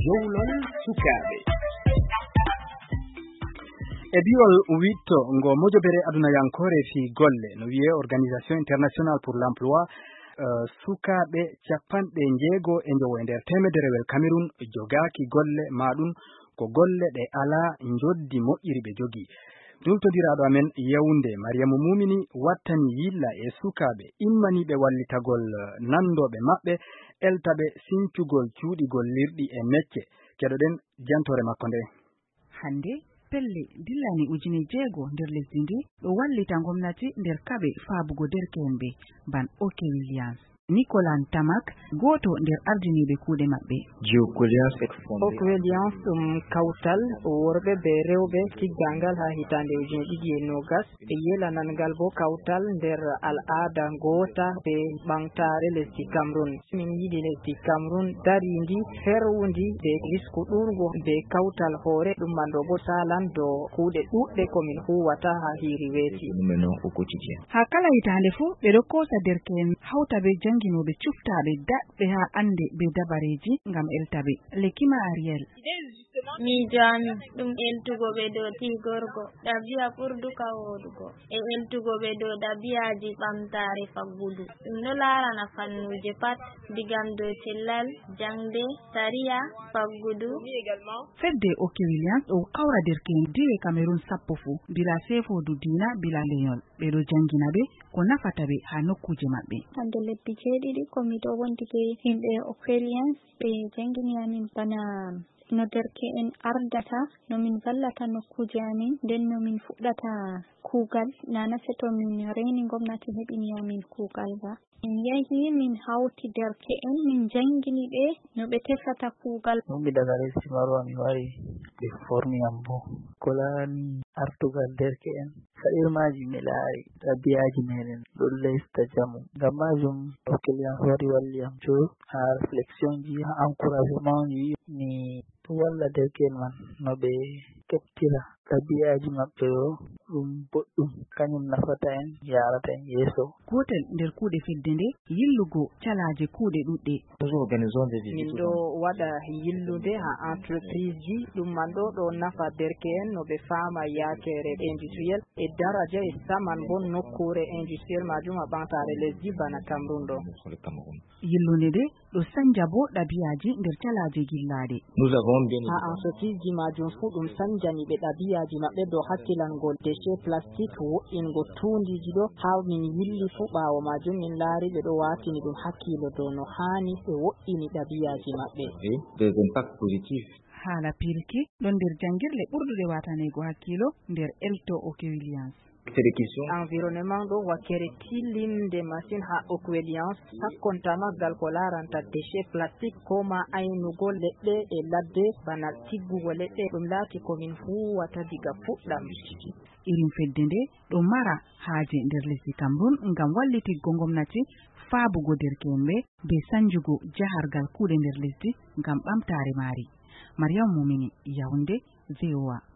jowlol sukaaɓe. E biwol witto ngo mojobere adunayankore fi golle no wiye Organisation Internationale pour l'Emploi, sukaaɓe 60 e njowo nder temederewel Cameroon jogaaki golle maɗum ko golle ɗe alaa njoddi moƴƴiri ɓe jogi. Joltodiraaɗo amen Yaoundé Mariamu Mumini wattani yilla e sukaaɓe immaniiɓe wallitagol nandoɓe maɓɓe eltaɓe sincugol cuuɗi gollirɗi e mecce. Keɗoɗen jantore makko nde. Hande pelle dillani 6,000 nder lesdi ndi ɗo wallita gomnati nder kaɓe faabugo derke'en ɓe ban Oke Williams. Nicolas Tamak goto nder ardiniɓe kuuɗe maɓɓe. Oke Williams kawtal worɓe be rewɓe tiggangal ha hitande 2020 ɓe yelanangal bo kawtal nder al'ada gota be ɓamtare lesdi Cameroon. Min yiɗi lesdi Cameroon darindi ferwundi be risku ɗurgo be kawtal hoore ɗum manɗo bo salan dow kuuɗe ɗuɗɗe komin huwata ha hiri weeti. Ha kala hitande fu ɓe ɗo kosa derke'en hawta be janginoɓe cuftaɓe daɗɓe ha ande be dabareji ngam eltaɓe. Lekima Ariel. Miijami ɗum eltugo ɓe dow tigorgo ɗabi'a ɓurduka wodugo e eltugo ɓe dow ɗabi'aji ɓamtare faggudu. Ɗum ɗo larana fannuje pat digam dow cellal, jangde, sariya, faggudu. Fedde Oke Williams ɗo kawra derke'en diwe Cameroon 10 fu bila sefodu dina bila lenyol. Ɓe ɗo jangina ɓe ko nafata ɓe ha nokkuje maɓɓe. Hande lebbi 7 komi ɗo wondi be himɓe Oke Williams ɓe jangini amin bana no derke'en ardata, no min vallata nokkuje amin, nden no min fuɗɗata kuugal nana seto min reni gomnati heɓini amin kuugal ba. Min yahi min hawti derke'en min jangini ɓe no ɓe tefata kuugal. Ɗum daga lesdi Marwa mi wari ɓe formi am bo ko laani artugal derke'en saɗirmaji mi laari ɗabi'aji meɗen ɗo lesta jamu. Ngam majum Oke Williams wari walli am jo ha réflexion ji ha encouragement ji mi walla derke'en man no ɓe keɓtira ɗabi'aji maɓɓe ɗo ɗum boɗɗum kañum nafata en yarata en yeeso. Gotel nder kuuɗe fedde nde yillugo calaje kuuɗe ɗuɗɗe. Min ɗo waɗa yillude ha entreprise ji ɗum man ɗo nafa derke'en no ɓe faama yakere industriel e daraja e saman bo nokkure industriel majum ha ɓamtare lesdi bana Cameroon ɗo. Yillude nde ɗo sanja bo ɗabi'aji nder calaje gillaɗe. Ha entreprise ji majum fu ɗum sanjani ɓe ɗabi'aji maɓɓe dow hakkilangol déchet plastique wo'ingo tundiji ɗo. Ha min yilli fu ɓawo majum min laari ɓe ɗo watini ɗum hakkilo dow no hani ɓe wo'ini ɗabi'aji maɓɓe. Haala pilki ɗon nder jangirle ɓurdude watanego hakkilo nder elto Oke Williams. Environnement ɗo wakkere tilinde masin ha Oke Williams sakkontama gal ko laranta déchet plastique ko ma aynugo leɗɗe e ladde bana tiggugo leɗɗe ɗum laati komin huwata diga fuɗɗam. Irin fedde nde ɗo mara haaje nder lesdi Cameroon ngam wallitiggo gomnati faabugo derke'en be sanjugo jahargal kuuɗe nder lesdi ngam ɓamtare maari. Mariam Mumini, Yaoundé, VOA.